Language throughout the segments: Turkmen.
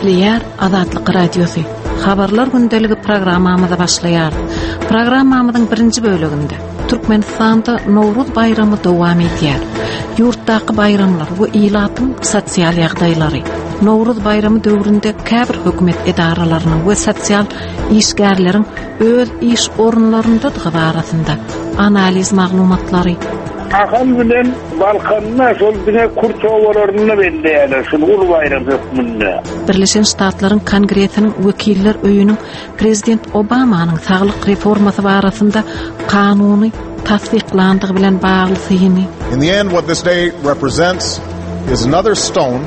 Gepleýär Azatlyk Radiosy. Habarlar gündeligi programmamyzy başlaýar. Programmamyzyň birinji böleginde Türkmenistanda Nowruz baýramy dowam edýär. Ýurtdaky baýramlar we ilatyň sosial ýagdaýlary. Nowruz baýramy döwründe käbir hökümet edaralarynyň we sosial işgärleriň öz iş orunlaryndadygy barasynda analiz maglumatlary. Ahal bilen Balkanda şol diňe kürt obalarynda belleýärler şuny uly baýram hökmünde. Birleşen Ştatlaryň Kongresiniň Wekiller öýüniň prezident Obamanyň saglyk reformasy barasynda kanuny tassyklandygy bilen bagly syny. In the end what this day represents is another stone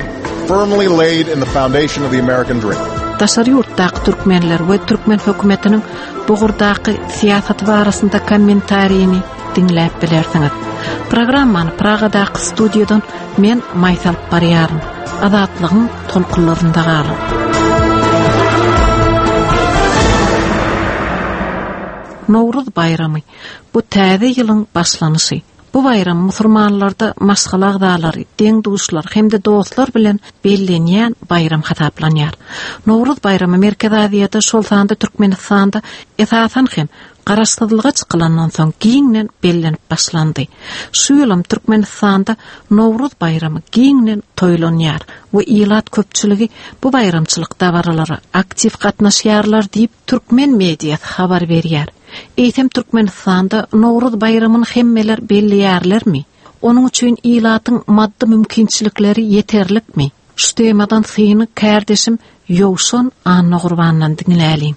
firmly laid in the foundation of the American dream. Daşary ýurtdaky türkmenler we türkmen hökümetiniň bu ugurdaky syýasaty barasynda kommentarini diňläp bilersiňiz. Programmany Pragadaky studiýadan men Maýsa alyp barýaryn. Azatlygyň tolkunlarynda galyň. Nowruz baýramy bu täze ýylyň başlanyşy. Bu baýram musurmanlarda maşgala agzalary, deň-duşlar hem-de dostlar bilen bellenýän baýram hasaplanýar. Nowruz baýramy Merkezi Aziýada, şol sanda Türkmenistanda, esasan hem, Garaşsyzlyga çykylandan soň giňden bellenip başlandy. Şu ýylam Türkmenistanda Nowruz baýramy giňden toýlanýar we ilat köpçüligi bu baýramçylyk dabaralara aktiw gatnaşýarlar diýip, türkmen mediasy habar berýär. Eýsem Türkmenistanda Nowruz baýramyny hemmeler belleýärlermi? Onuň üçin ilatyň maddy mümkinçilikleri ýeterlikmi? Şu temadan syny kärdeşim Ýowşan Annagurbandan diňläliň.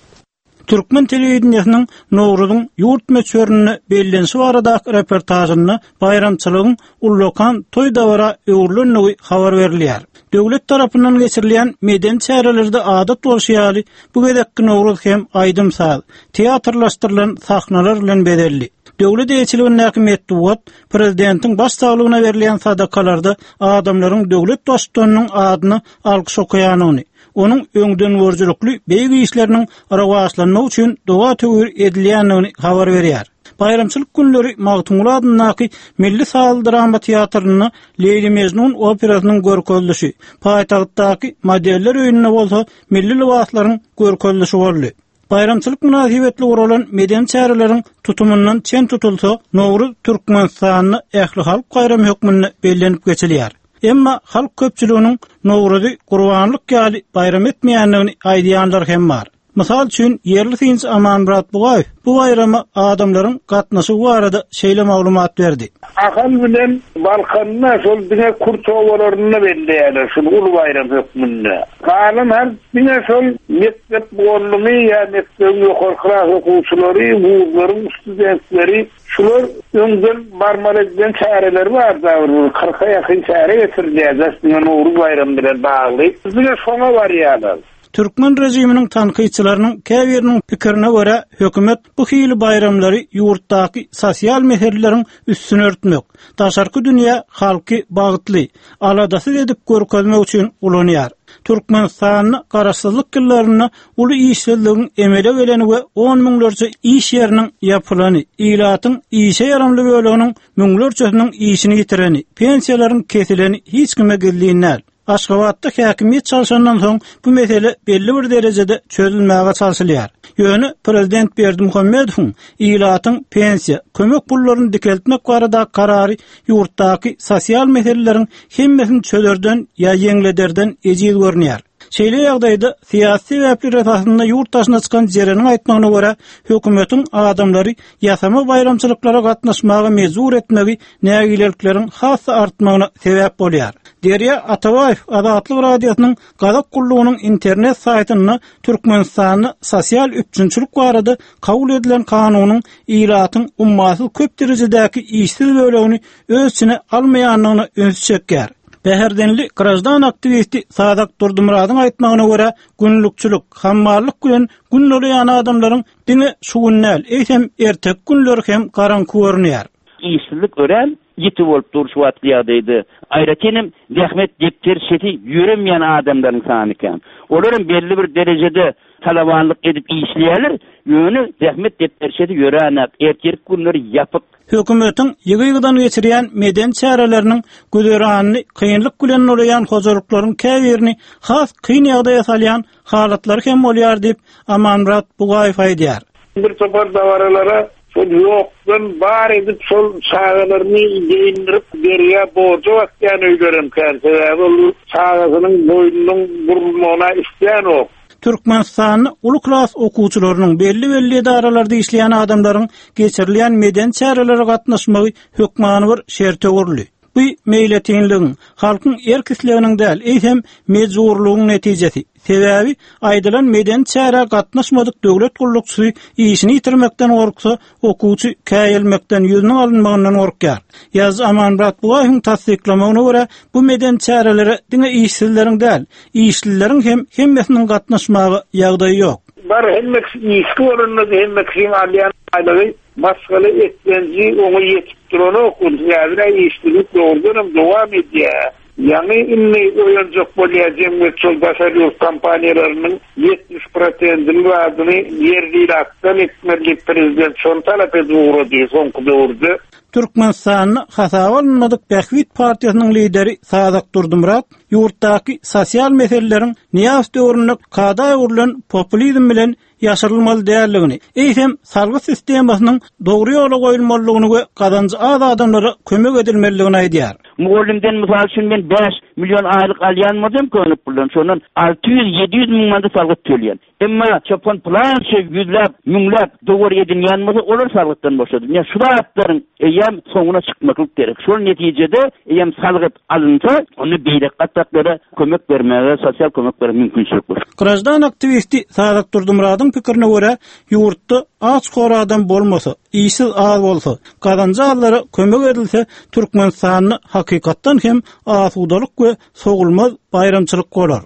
Türkmen telewideniýesiniň Nowruzyň ýurt möçberinde bellenişi baradaky reportažynda baýramçylygyň ullakan toý-dabara öwrülendigi habar berilýär. Döwlet tarapyndan geçirilýän medeni çärelerde adat bolşy ýaly, bu gezekki Nowruz hem aýdym-saz, teatrlaşdyrylan sahnalar bilen bezeldi. Döwlet eýeçiligindäki metbugat prezidentiň baş saglygyna berilýän sadakalarda adamlaryň döwlet baştutanynyň adyna alkyş okaýanyny, onuň öňdengörüjilikli beýik işleriniň rowaçlanmagy üçin doga-töwir edilýändigini habar berýär. Baýramçylyk günleri Magtymguly adyndaky Milli sazly-drama teatrynda Leýli-Mejnun operasynyň görkezilişi, paýtagtdaky Modeller öýünde bolsa milli lybaslaryň görkezilişi boldy. Baýramçylyk mynasybetli guralan medeni çäreleriň tutumyndan çen tutulsa, Nowruz Türkmenistanda ählihalk baýramy hökmünde bellenip geçilýär. Emma halk köpçüliginiň Nowruzy gurbanlyk ýaly baýram etmeýändigini aýdýanlar hem bar. Mysal üçin, ýerli synçy Amanmyrat Bugaýew bu baýrama adamlaryň gatnaşygy barada şeýle maglumat berdi. Ahal bilen Balkanda şol diňe kürt obalarynda belleýärler şuny uly baýram hökmünde. Galan halk diňe şol mekdep mugallymy ýa mekdebiň ýokary klas okuwçylary, wuzlaryň studentleri şular öňden barmaly edilen çäreleri bar da bir kyrka ýakyn çäre geçirilýär daş diňe Nowruz baýramy bilen bagly. Diňe şoňa barýarlar. Türkmen režiminiň tankytçylarynyň käbiriniň pikirine görä, hökümet bu hili baýramlary ýurtdaky sosial meseleleriň üstüni örtmek, daşarky dünýä halky bagtly, aladasyz edip görkezmek üçin ulanýar. Türkmenistanda garaşsyzlyk ýyllarynda uly işsizligiň emele geleni we on müňlerçe iş ýeriniň ýapylany, ilatyň işe ýaramly böleginiň müňlerçesiniň işini ýitireni, pensiýalaryň kesileni hiç kime gizlin däl. Aşgabatda häkimiýet çalşandan soň bu mesele belli bir derejede çözülmäge çalşylýar. Ýöne prezident Berdimuhamedowyň ilatyň pensiýa, kömek pullaryny dikeltmek baradaky karary ýurtdaky sosial meseleleriň hemmesini çözerden ýa ýeňlederden ejiz görünýär. Şeýle ýagdaýda syýasy sebäpler esasynda ýurt daşyna çykan Jereniň aýtmagyna görä, hökümetiň adamlary ýasama baýramçylyklara gatnaşmaga mejbur etmegi nägilelikleriň has-da artmagyna sebäp bolýar. Derýa Atabaýew Azatlyk Radiosynyň Gazak gullugynyň internet saýtynda Türkmenistanda sosial üpjünçilik barada kabul edilen kanunyň ilatyň ummasyz köp derejedäki işsiz bölegini öz içine almaýandygyna ünsi çekýär. Bäherdenli graždan aktiwisti Sazak Durdymyradyň aýtmagyna görä, günlükçilik, hammallyk bilen gün dolaýan adamlaryň diňe şu gün däl, eýsem erteki günleri hem garaňky görünýär. Işsizlik örän ýiti bolup dur şu wagtky ýagdaýda. Aýratyn hem zähmet depderçesi ýöremeýän adamlaryň sany kän. Olar hem belli bir derejede talabanlyk edip işleýärler, ýöne zähmet depderçesi ýöränak, ertirki günleri ýapyk. Hökümetiň ýygy-ýygydan geçirýän medeni çäreleriniň güzeranyny kynlyk bilen nolaýan hojalyklaryň käbirini has kyn ýagdaýa salýan halatlary hem bolýar diýip, Amanmyrat Bugaýew aýdýar. Bir topar dabaralara şol ýokdan bar edip şol çagalaryny geýindirip bergä borja batýan öýlerem kän sebäbi ol çagasynyň boýnunyň burulmagyna islänok. Türkmenistanda uly klas okuwçylarynyň, belli-belli edaralarda işleýän adamlaryň geçirilýän medeni çärelere gatnaşmagy hökmany bir şerte öwrüldi. Bu meýletinligiň, halkyň erk-isleginiň däl, eýsem, mejburlygyň netijesi. Sebäbi, aýdylan medeni çärä gatnaşmadyk döwlet gullukçysy işini ýitirmekden gorksa, okuwçy käýelmekden, ýüzüniň alynmagyndan gorkýar. Ýazyjy Amanmyrat Bugaýewiň tassyklamagyna görä, bu medeni çärelere diňe işsizleriň däl, işlileriň hem hemmesiniň gatnaşmaga ýagdaýy ýok. Bar hemme kişi işli bolanda-da hemme kişiň alýan aýlygy maşgala eklenji oňa ýetip duranok. Sebäbi-dä işsizlik dogrudanam dowam edýär. Ýaňy indi oýanjak bolýar jemgyýet şol daşary ýurt kompaniýalarynyň 70 prosentini zadyny ýerli ilatdan etmeli diýip prezident şony talap edip ugrady soňky döwürde. Türkmenistanda hasaba alynmadyk Bähbit partiýasynyň lideri Sazak Durdymyrat ýurtdaky sosial meseleleriň Nyýazow döwründe kada öwrülen populizm bilen ýaşyrylmaly däldigini, eýsem, salgyt sistemasynyň dogry ýola goýulmalydygyny we gazanjy az adamlara kömek edilmelidigini aýdýar. Mugallymdan mysal üçin men 5 million aýlyk alýan bolsam köne puldan şondan 600-700 müň manat salgyt töleýän. Emma çopan pylança ýüzläp, müňläp dowar edinýän bolsa olar salgytdan boşadylýar. Ýa şu zatlaryň eýýäm soňuna çykmaklyk gerek. Şol netijede eýýäm salgyt alynsa, onda beýleki gatlaklara kömek bermäge, sosial kömek bermäge mümkinçilik bar. Graždan aktiwisti Sazak Durdymyradyň pikirine görä, ýurtda aç-hor adam bolmasa, işsiz az bolsa, gazanjy azlara kömek edilse, Türkmenistanda hakykatdan hem asudalyk we sowulmaz baýramçylyk bolar.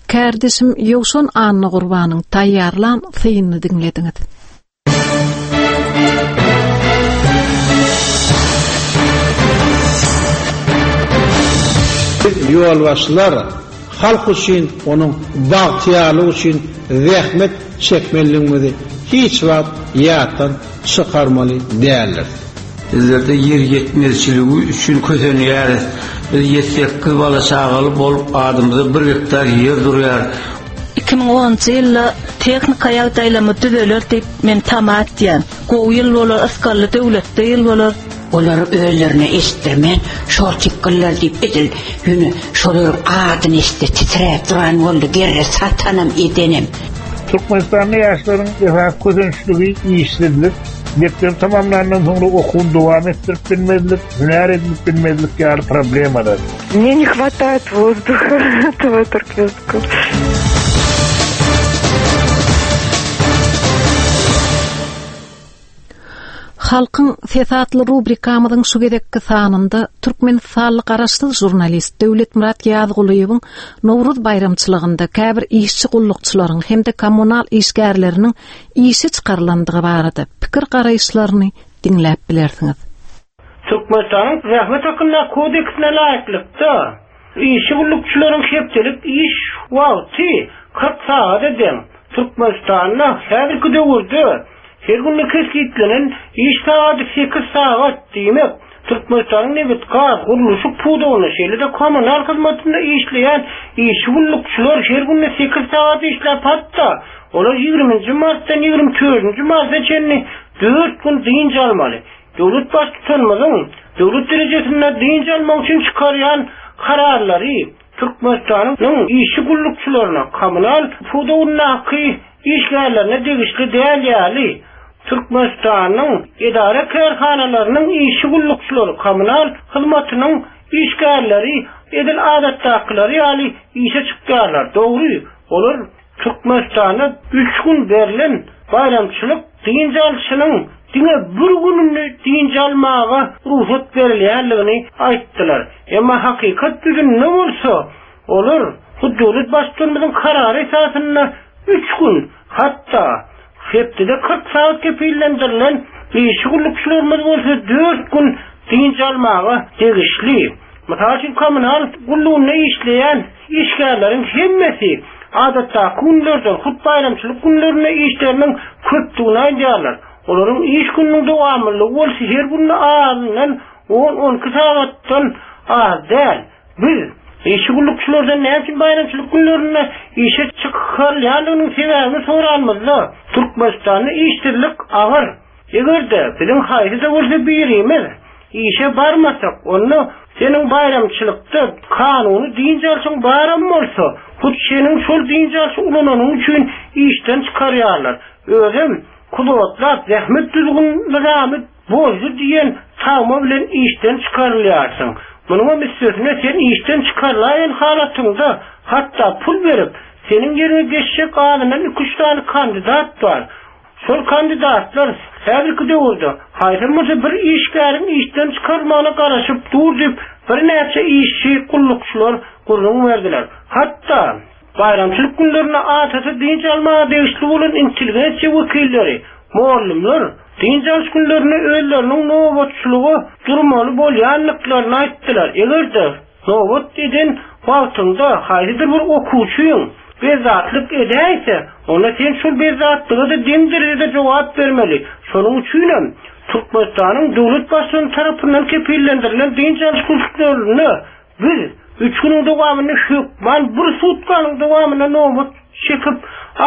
Kärdeşim Ýowşan Annagurbanyň taýýarlan synyny diňlediňiz. Biz ýolbaşçylar halk üçin, onuň bagtyýarlygy üçin zähmet çekmelidigimizi hiç wagt ýatdan çykarmaly däldiris. Bizlerde ýer ýetmezçiligi üçin kösenýäris. Biz ýedi-sekiz bala-çagaly bolup, adymyza bir gektar ýer durýar. 2010-njy ýylda tehnika ýagdaýlarymyz düzeler diýip men tama etýän. Gowy ýyl bolar, ysgally döwletli ýyl bolar. Olar özlerine eşitdirmän şortikgyllar diýip edil ýöne şolaryň adyny eşitse titräp duran boldy gerre satanam edenem. Türkmenistanda ýaşlaryň esasy kösençligi işsizlik, mekdebi tamamlandan soňra okuwyny dowam etdirip bilmezlik, hünär edinip bilmezlik ýaly problemalar. Мне не хватает воздуха этого торквестка. Halkyň sesi atly rubrikamyzyň şu gezekki sanynda türkmenistanly garaşsyz žurnalist Döwletmyrat Ýazgulyýewiň Nowruz baýramçylygynda käbir işçi gullukçylaryň hem-de kommunal işgärleriniň işe çykarylandygy barada pikir-garaýyşlaryny diňläp bilersiňiz. Türkmenistanyň Zähmet hakyndaky kodeksine laýyklykda, işçi gullukçylaryň hepdelik iş wagty 40 sagada deň. Türkmenistanda häzirki döwürde her günde kesgitlenen iş sagady sekiz sagat, diýmek, Türkmenistanyň nebitgaz, gurluşyk pudagynda, şeýle-de kommunal hyzmatynda işleýän işçi gullukçylar her günde sekiz sagat işläp, hatda olar ýigriminji martdan ýigrimi dördünji marta çenli dört gün dynç almaly. Döwlet Baştutanymyzyň döwlet derejesinde dynç almak üçin çykarýan kararlary Türkmenistanyň işçi gullukçylaryna, kommunal pudagyndaky işgärlerine degişli däl ýaly, Türkmenistanyň edara-kärhanalarynyň işçi gullukçylary, kommunal hyzmatynyň işgärleri edil adatdakylary ýaly işe çykýarlar. Dogry, olar Türkmenistanda üç gün berlen baýramçylyk dynç alşynyň diňe bir gününi dynç almaga rugsat berilýändigini aýtdylar. Emma hakykat ýüzünde bolsa, olar hut döwlet Baştutanymyzyň karary esasynda üç gün, hatda hepdede 40 sagat kepillendirilen işçi gullukçylarymyz bolsa dört gün dynç almaga degişli. Mysal üçin, kommunal gullugynda işleýän işgärleriň hemmesi adatdaky günlerden, hut baýramçylyk günlerinde işleriniň köpdügini aýdýarlar. Olaryň iş gününiň dowamlylygy bolsa her günde azyndan on-on iki sagatdan az däl. Biz, işçi gullukçylardan näme üçin baýramçylyk günlerinde işe çykarylýandygynyň sebäbini soranymyzda, Türkmenistanda işsizlik agyr. Eger-de biziň haýsy-da bolsa birimiz işe barmasak, onda seniň baýramçylykda kanuny dynç alşyň baram bolsa, hut seniň şol dynç alşy ulananyň üçin işden çykarýarlar. Özem kudotlap zähmet düzgün-nyzamy bozdy diýen tagma bilen işden çykarylýarsyň. Munuňam üstesine sen işden çykarylaýan halatyňda hatda pul berip, seniň ýeriňe geçjek azyndan iki-üç sany kandidat bar. Şol kandidatlar häzirki döwürde haýsam bolsa bir işgäriň işden çykarylmagyna garaşyp dur diýip, birnäçe işçi, gullukçylar gürrüň berdiler. Hatda, baýramçylyk günlerinde adaty dynç almaga degişli bolan intelligensiýa wekilleri, mugallymlar dynç alyş günlerinde özleriniň nobatçylyga durmaly bolýandyklaryny aýtdylar. Eger-de, Nobat eden wagtyňda haýsydyr bir okuwçyň bezzatlyk edäýse, onda sen şol bezzatlyga-da deň derejede jogap bermeli. Şonuň üçinem Türkmenistanyň döwlet Baştutany tarapyndan kepillendirilen dynç alyş günlerinde biz üç günüň dowamynda hökman bir sutkanyň dowamynda nobat çekip,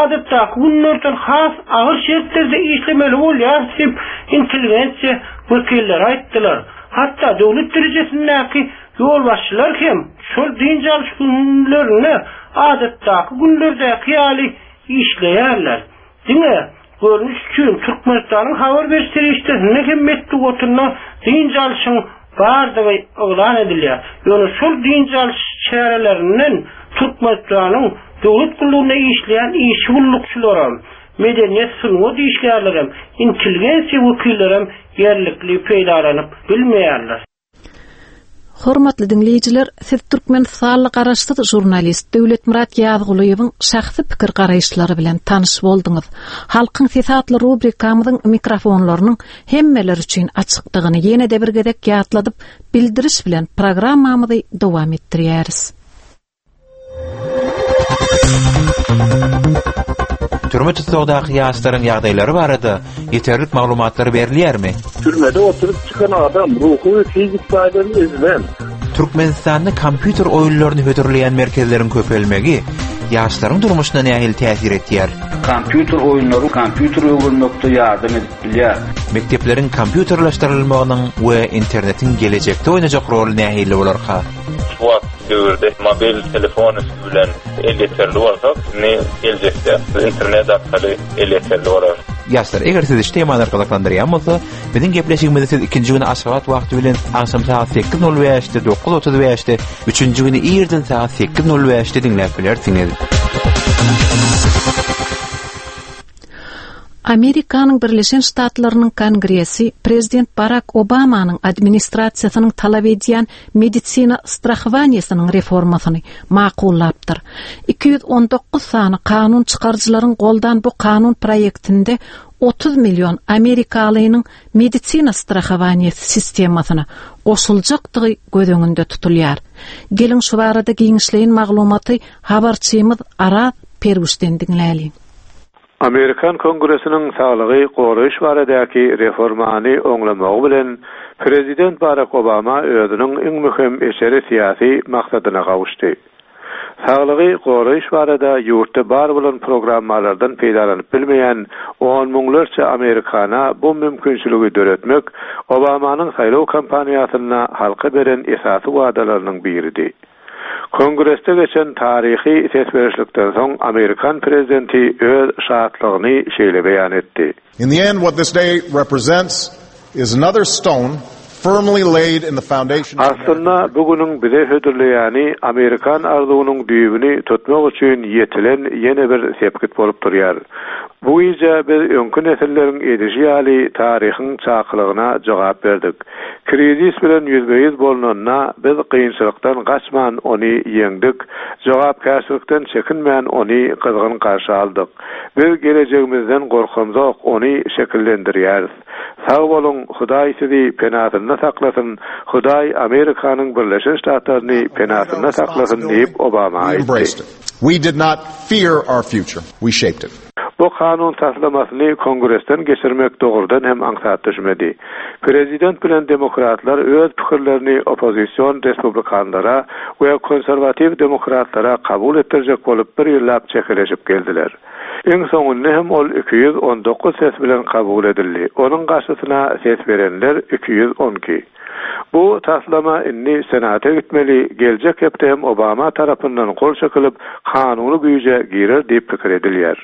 adatdaky günlerden has agyr şertlerde işlemeli bolýarys diýip, intelligensiýa wekilleri aýtdylar. Hatda döwlet derejesindäki ýolbaşçylar hem şol dynç alyş günlerinde adatdaky günlerdäki ýaly işleýärler. Diňe görnüş üçin Türkmenistanyň habar beriş serişdesinde hem metbugatynda dynç alşyň bardygy yglan edilýär. Ýöne şol dynç alyş çärelerinden Türkmenistanyň döwlet gullugynda işleýän işçi gullukçylaram, medeniýet, sungat işgärlerem, intelligensiýa wekillerem ýerlikli peýdalanyp bilmeýärler. Hormatly diňleýjiler, siz türkmenistanly garaşsyz žurnalist Döwletmyrat Ýazgulyýewiň şahsy pikir-garaýyşlary bilen tanyş bolduňyz. Halkyň sesi atly rubrikamyzyň mikrofonlarynyň hemmeler üçin açykdygyny ýene-de bir gezek ýatladyp, bildiriş bilen programmamyzy dowam etdirýäris. Türme tussagdaky ýaşlaryň ýagdaýlary barada ýeterlik maglumatlar berilýärmi? Türmede oturyp çykan adam ruhy we fiziki taýdan ezilen. Türkmenistanda kompýuter oýunlaryny hödürleýän merkezleriň köpelmegi ýaşlaryň durmuşyna nähili täsir etýär? Kompýuter oýunlary kompýuter öwrenmekde ýardam edip bilýär. Mekdepleriň kompýuterleşdirilmeginiň we internetiň gelejekde oýnajak roly nähili bolarka? Şu wagt döwürde mobil telefon üsti bilen elýeterli bolsak, indi geljekde internet arkaly elýeterli bolar. Ýaşlar, eger sizi şu temalar gyzyklandyrýan bolsa, biziň gepleşigimizi siz ikinji güni Aşgabat wagty bilen agşam sagat sekiz nol bäşde, 9:35-de, üçünji güni irden sagat sekiz nol bäşde diňläp bilersiňiz. Amerikanyň Birleşen Ştatlarynyň Kongresi prezident Barak Obamanyň administrasiýasynyň talap edýän medisina strahowaniýesiniň reformasyny makullapdyr. 219 sany kanun çykaryjylaryň goldan bu kanun proýektinde 30 million amerikalynyň medisina strahowaniýesi sistemasyna goşuljakdygy göz öňünde tutulýar. Geliň şu barada giňişleýin maglumaty habarçymyz Araz Perwişden diňläliň. Amerikan Kongresiniň saglygy goraýyş baradaky reformany oňlamagy bilen, prezident Barak Obama özüniň iň möhüm içeri syýasy maksadyna gowuşdy. Saglygy goraýyş barada ýurtda bar bolan programmalardan peýdalanyp bilmeýän on müňlerçe amerikana bu mümkinçiligi döretmek Obamanyň saýlaw kampaniýasynda halka beren esasy wadalarynyň biridi. Kongresde geçen taryhy ses berişlikden soň amerikan prezidenti öz şatlygyny şeýle beýan etdi. In the end what this day represents is another stone firmly laid in the foundation of Aslynda bu günüň bize hödürleýäni amerikan arzuwynyň düýbüni tutmak üçin ýetilen ýene bir sepgit bolup durýar. Bu gije biz öňki nesilleriň edişi ýaly taryhyň çakylygyna jogap berdik. Krizis bilen ýüzbe-ýüz bolnanda, biz kynçylykdan gaçman ony ýeňdik, jogapkärçilikden çekinmän ony gyzgyn garşy aldyk. Biz gelejegimizden gorkamzok, ony şekillendirýäris. Sag boluň, Hudaý sizi penasynda saklasyn, Hudaý Amerikanyň Birleşen Ştatlaryny penasynda saklasyn diýip, Obama aýtdy. We did not fear our future, we shaped it. Bu. Bu kanun taslamasyny Kongresden geçirmek dogrudan hem aňsat düşmedi. Prezident bilen demokratlar öz pikirlerini oppozision respublikanlara we konserwatiw demokratlara kabul etdirjek bolup bir ýyllap çekeleşip geldiler. Iň soňunda hem ol 219 ses bilen kabul edildi, onuň garşysyna ses berenler 212. Bu taslama indi Senata gitmeli, geljek hepde hem Obama tarapyndan gol çekilip, kanuny güýje girer diýip pikir edilýär.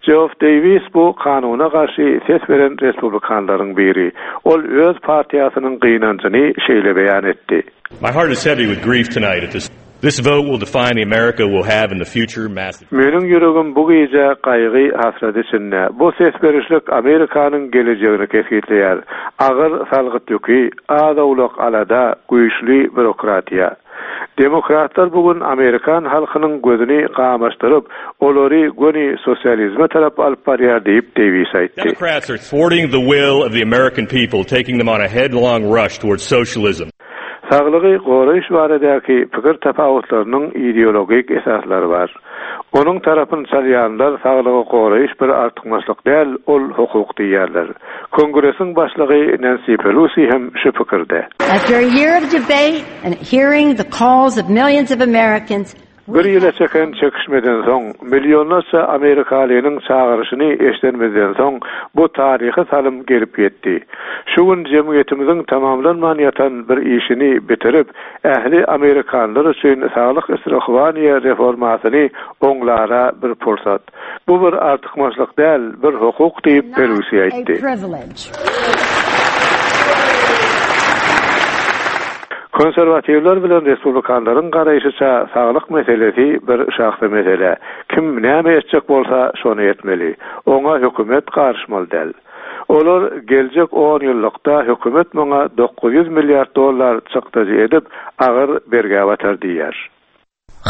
Jeoff Deýwis bu kanuna garşy ses beren respublikanlaryň biri. Ol öz partiýasynyň gynanjyny şeýle beýan etdi. My heart is heavy with grief tonight at this This vote will define the America we'll have in the future massive. Meniň ýüregim bu gije gaýgy hasrat içinde. Bu ses berişlik Amerikanyň gelejegini kesgitleýär. Agyr salgyt ýüki, az-owlak alada, güýçli býurokratiýa. Demokratlar bu gün amerikan halkynyň gözüni gamaşdyryp, olary göni sosializme tarap alyp barýar diýip, Deýwis aýtdy. Democrats are thwarting the will of the American people, taking them on a headlong rush towards socialism. Saglygy goraýyş baradaky pikir tapawutlarynyň ideologik esaslary bar. Onuň tarapyny çalýanlar saglygy goraýyş bir artykmaçlyk däl, ol hukuk diýýärler. Kongresiň başlygy Nensi Pelosi hem şu pikirde. After a year of debate and hearing the calls of millions of Americans, Bir ýyla çeken çekişmeden soň, millionlarça amerikalynyň çagyryşyny eşidenimizden soň, bu taryhy salym gelip ýetdi. Şu gün jemgyýetimiziň tamamlanman ýatan bir işini bitirip, ähli amerikanlar üçin saglyk strahowaniýe reformasyny oňlara bir pursat. Bu bir artykmaçlyk däl, bir hukuk diýip, Pelosi aýtdy. Konserwatiwler bilen respublikanlaryň garaýşyça saglyk meselesi bir şahsy mesele. Kim näme etjek bolsa şony etmeli. Oňa hökümet garyşmaly däl. Olar geljek on ýyllykda hökümet muňa 900 milliard dollar çykdajy edip agyr bergä batar diýýär.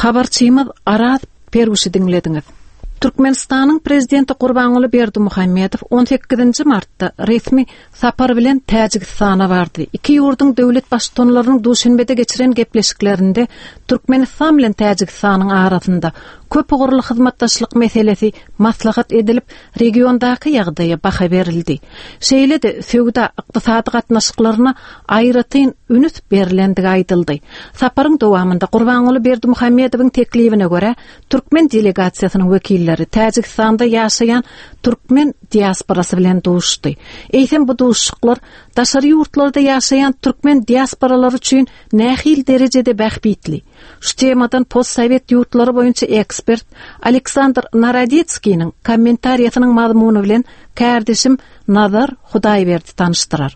Habarçymyz Araz Perwişi diňlediňiz. Türkmenistanyň Prezidenti Gurbanguly Berdimuhamedow on sekizinji martda resmi sapar bilen Täjigistana bardy. Iki ýurduň döwlet Baştutanlarynyň Duşenbede geçiren gepleşiklerinde Türkmenistan bilen Täjigistanyň arasynda köpugurly hyzmatdaşlyk meselesi maslahat edilip, regiondaky ýagdaýa baha berildi. Şeýle-de söwda, ykdysady gatnaşyklaryna aýratyn ünüs berlendigi aýdyldy. Saparyň dowamynda Gurbanguly Berdimuhamedowyň teklibine görä, türkmen delegasiýasynyň wekilleri Täjigistanda ýaşaýan türkmen diasporasy bilen duşuşdy. Eýsem bu duşuşyklar daşary ýurtlarda ýaşaýan türkmen diasporalary üçin nähili derejede bähbitli? Şu temadan postsowet ýurtlary boýunça ekspert Aleksandr Narodetskiniň kommentariýasynyň mazmuny bilen kärdeşim Nazar Hudaýberdi tanyşdyrar.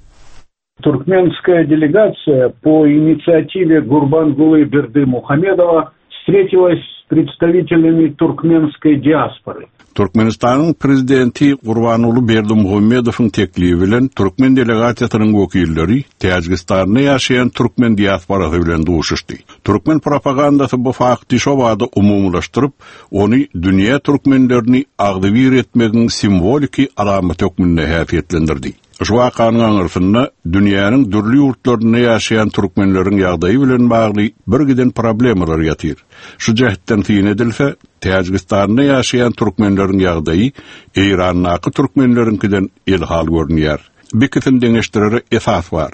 Туркменская делегация по инициативе Гурбангулы Бердымухамедова встретилась с представителями туркменской диаспоры. Türkmenistanyň Prezidenti Gurbanguly Berdimuhamedowyň teklibi bilen türkmen delegasiýasynyň wekilleri Täjigistanda ýaşaýan türkmen diasporasy bilen duşuşdy. Türkmen propagandasy bu fakty şobada umumylaşdyryp, ony dünýä türkmenlerini agzybir etmegiň simwoliki alamaty hökmünde häsiýetlendirdi. Şu wakanyň aňyrsynda dünýäniň dürli ýurtlarynda ýaşaýan türkmenleriň ýagdaýy bilen bagly birgiden problemalar ýatyr. Şu jähtden syn edilse, Täjigistanda ýaşaýan türkmenleriň ýagdaýy Eýrandaky türkmenleriňkiden elhal görünýär. Bikisini deňeşdirere esas bar.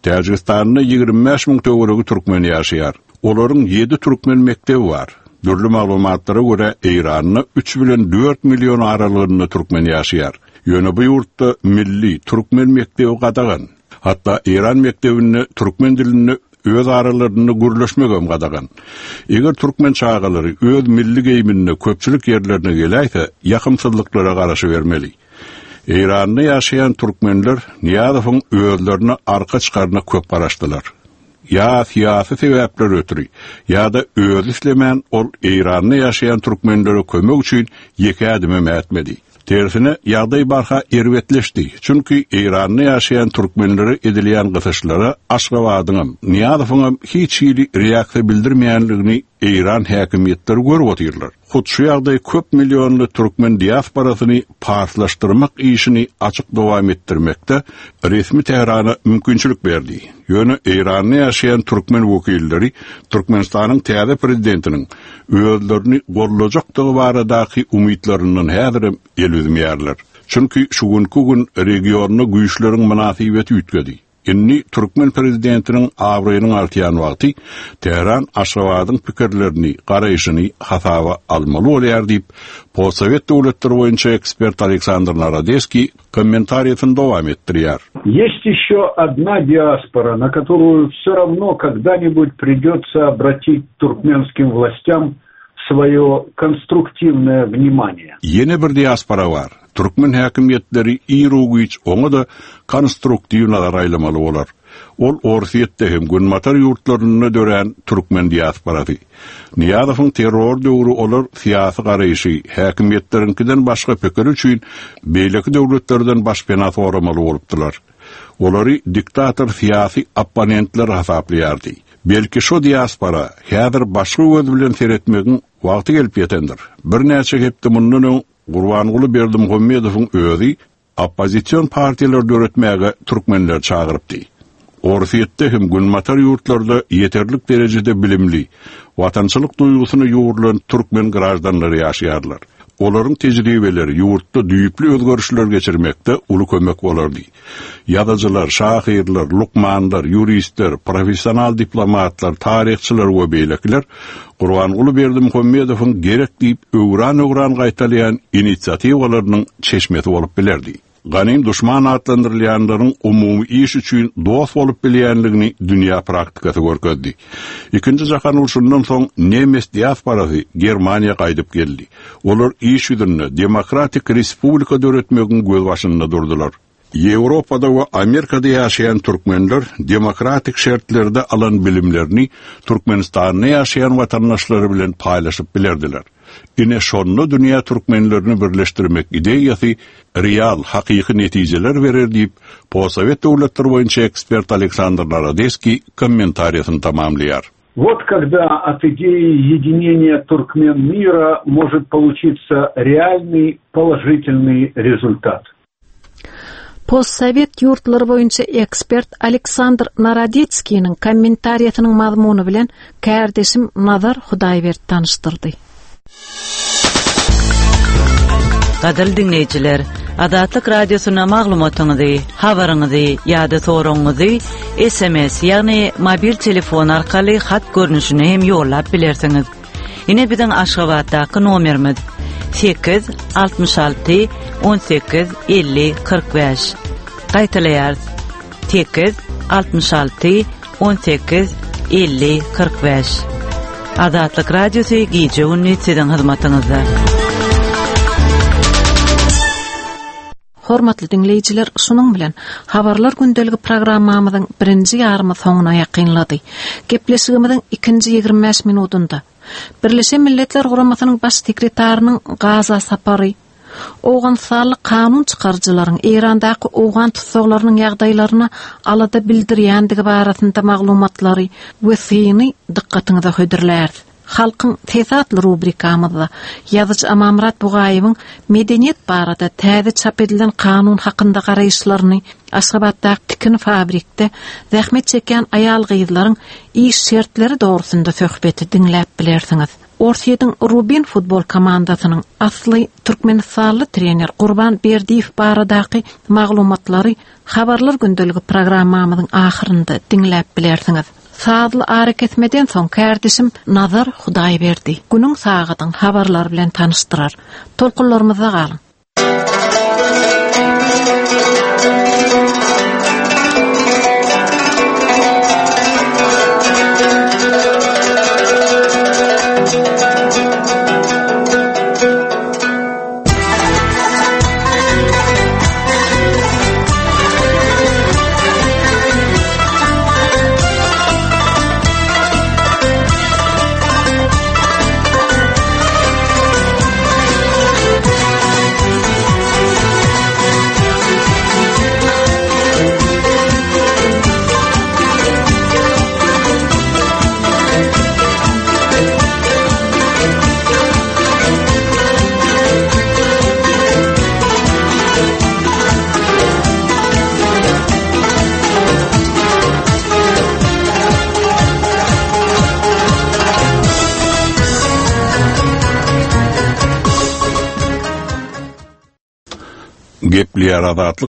Täjigistanda 25 müň töweregi türkmen ýaşaýar. Olaryň ýedi türkmen mekdebi bar. Dürli maglumatlara görä, Eýranda üç bilen dört million aralygynda türkmen ýaşaýar. Ýöne bu ýurtda milli, türkmen mekdebi gadagan. Hatda Eýran mekdebinde türkmen dilinde öz aralarynda gürleşmegem gadagan. Eger türkmen çagalary öz milli geýiminde köpçülik ýerlerine geläýse, ýakymsyzlyklara garaşybermeli. Eýranda ýaşaýan türkmenler Nyýazowyň özlerine arka çykaryna köp garaşdylar. Ýa syýasy sebäpler ötri, ýa-da özi islemän ol Eýranda ýaşaýan türkmenlere kömek üçin ýeke ädimem ätmedi. Tersine, ýagdaý barha erbetleşdi. Çünki Eýranda ýaşaýan türkmenlere edilýän gysyşlara Aşgabadyňam, Nyýazowyňam hiç hili reaksiýa bildirmeýänligini. Eýran häkimiýetleri görüp otyrlar. Hut şu ýagdaý köp millionly türkmen diasporasyny parslaşdyrmak işini açyk dowam etdirmekde resmi Tährana mümkinçilik berdi. Ýöne Eýranda ýaşaýan türkmen wekilleri Türkmenistanyň täze prezidentiniň özlerini goldajakdygy baradaky umytlaryndan häzirem el üzmeýärler. Çünki şu günki gün regionda güýçleriň mynasybeti üýtgedi. Indi türkmen prezidentiniň abraýynyň artýan wagty Tähran Aşgabadyň pikirlerini, garaýşyny hasaba almaly bolýar diýip, postsowet döwletleri boýunça ekspert Aleksandr Narodeskiý kommentariýasyny dowam etdirýär. Есть еще одна диаспора, на которую все равно когда-нибудь придется обратить туркменским властям свое konstruktiwnoe wнимание. Ýene bir diaspora bar. Türkmen häkimiýetleri iru-giç oňa-da konstruktiw nazar aýlamaly bolar. Ol Orsýetde hem Günbatar ýurtlarynda dörän türkmen diasporasy. Nyýazowyň terror döwri olar syýasy garaýşy, häkimiýetleriňkiden başga pikiri üçin beýleki döwletlerden başpena soramaly bolupdylar. Olary diktator syýasy opponentler hasaplaýardy. Belki şo diaspora häzir başga göz bilen seretmegiň wagty gelip ýetendir. Birnäçe hepde mundan öň Gurbanguly Berdimuhamedowyň özi oppozision partiýalar döretmäge türkmenleri çagyrypdy. Orsýetde hem günbatar ýurtlarda ýeterlik derejede bilimli, watançylyk duýgusyna ýugrulan türkmen graždanlary ýaşaýarlar. Olaryň tejribeleri ýurtda düýpli özgerişler geçirmekde uly kömek bolardy. Ýazyjylar, şahyrlar, lukmanlar, ýuristler, professional diplomatlar, taryhçylar we beýlekiler Gurbanguly Berdimuhamedowyň gerek diýip öwran-öwran gaýtalaýan inisiatiwalarynyň çeşmesi bolup bilerdi. Ganym duşman atlandyrylýanlaryň umumy iş üçin dost bolup bilýänligini dünýä praktikasy görkezdi. Ikinji jahan urşundan soň nemes diasporasy Germaniýa gaýdyp geldi. Olar iş ýüzünde demokratik respublika döretmegiň gözbaşynda durdular. Ýewropada we Amerikada ýaşaýan türkmenler demokratik şertlerde alan bilimlerini Türkmenistanda ýaşaýan watandaşlary bilen paýlaşyp bilerdiler. Ine şonda dünýä türkmenlerini birleşdirmek ideýasy real, hakyky netijeler berer diýip, postsowet döwletleri boýunça ekspert Aleksandr Narodeskiý kommentariýasyny tamamlaýar. Вот когда от идеи единения туркмен мира может получиться реальный положительный результат. Postsowet ýurtlary boýunça ekspert Aleksandr Narodetskiniň kommentariýasynyň mazmuny bilen kärdeşim Nazar Hudaýberdi tanyşdyrdy. Gadyrly diňleýjiler, Azatlyk Radiosyna maglumatyňyzy, habaryňyzy ýa-da soragyňyzy sms, ýagny mobil telefon arkaly hat görnüşinde hem ýollap bilersiňiz. Ine biziň Aşgabatdaky nomerimiz, 8 66 18 50 45. Gaýtalaýarys, 8 66 18 50 45. Azatlyk Radiosy gije-gündiz siziň hyzmatyňyzda. Hormatly diňleýjiler, şunuň bilen Habarlar gündeligi programmamyzyň birinji ýarymy soňuna ýakynlady. Gepleşigimiziň ikinji 25 minudynda Birleşen Milletler Guramasynyň Baş sekretarynyň Gaza sapary, owganystanly kanun çykaryjylaryň Eýrandaky owgan tussaglarynyň ýagdaýlaryna alada bildirýändigi barasynda maglumatlary we syny dykgatyňyza hödürläris. Halkyň sesi atly rubrikamyzda ýazyjy Amanmyrat Bugaýewiň medeniýet barada täze çap edilen kanun hakynda garaýyşlaryny, Aşgabatdaky tikin fabrikde zähmet çekýän aýal-gyzlaryň iş şertleri dogrusynda söhbeti diňläp bilersiňiz. Orsýetiň Rubin futbol komandasynyň asly türkmenistanly trener Gurban Berdiýew baradaky maglumatlary Habarlar gündeligi programmamyzyň ahyrynda diňläp bilersiňiz. Sazly arakesmeden soň kärdeşim Nazar Hudaýberdi günüň sagadyň habarlary bilen tanyşdyrar. Tolkunlarymyzda galyň! Gepleýär Azatlyk.